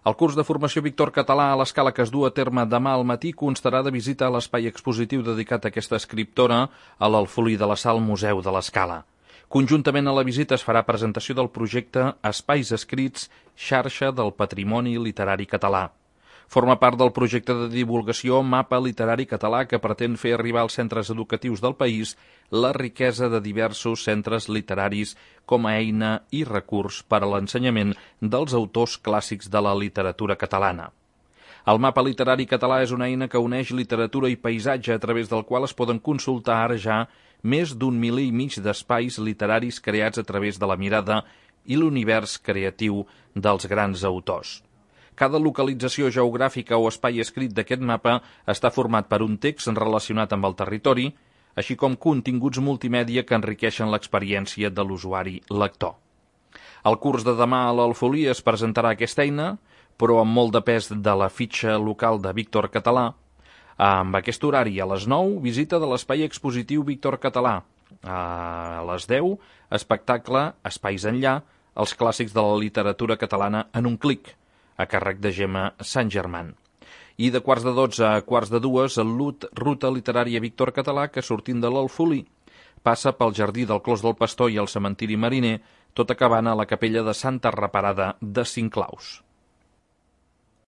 El curs de formació Víctor Català a l'Escala que es du a terme demà al matí constarà de visita a l'espai expositiu dedicat a aquesta escriptora a l'Alfolí de la Sal Museu de l'Escala. Conjuntament a la visita es farà presentació del projecte Espais Escrits, xarxa del patrimoni literari català. Forma part del projecte de divulgació Mapa Literari Català que pretén fer arribar als centres educatius del país la riquesa de diversos centres literaris com a eina i recurs per a l'ensenyament dels autors clàssics de la literatura catalana. El Mapa Literari Català és una eina que uneix literatura i paisatge a través del qual es poden consultar ara ja més d'1,5 milió d'espais literaris creats a través de la mirada i l'univers creatiu dels grans autors. Cada localització geogràfica o espai escrit d'aquest mapa està format per un text relacionat amb el territori, així com continguts multimèdia que enriqueixen l'experiència de l'usuari lector. Al curs de demà a l'Alfolí es presentarà aquesta eina, però amb molt de pes de la fitxa local de Víctor Català. Amb aquest horari, a les 9, visita de l'espai expositiu Víctor Català. A les 10, espectacle Espais enllà, els clàssics de la literatura catalana en un clic, a càrrec de Gemma Sant Germán. I de 11:15 a 11:45, el Ruta Literària Víctor Català, que sortint de l'Alfolí passa pel Jardí del Clos del Pastor i el Cementiri Mariner, tot acabant a la capella de Santa Reparada de Cinclaus.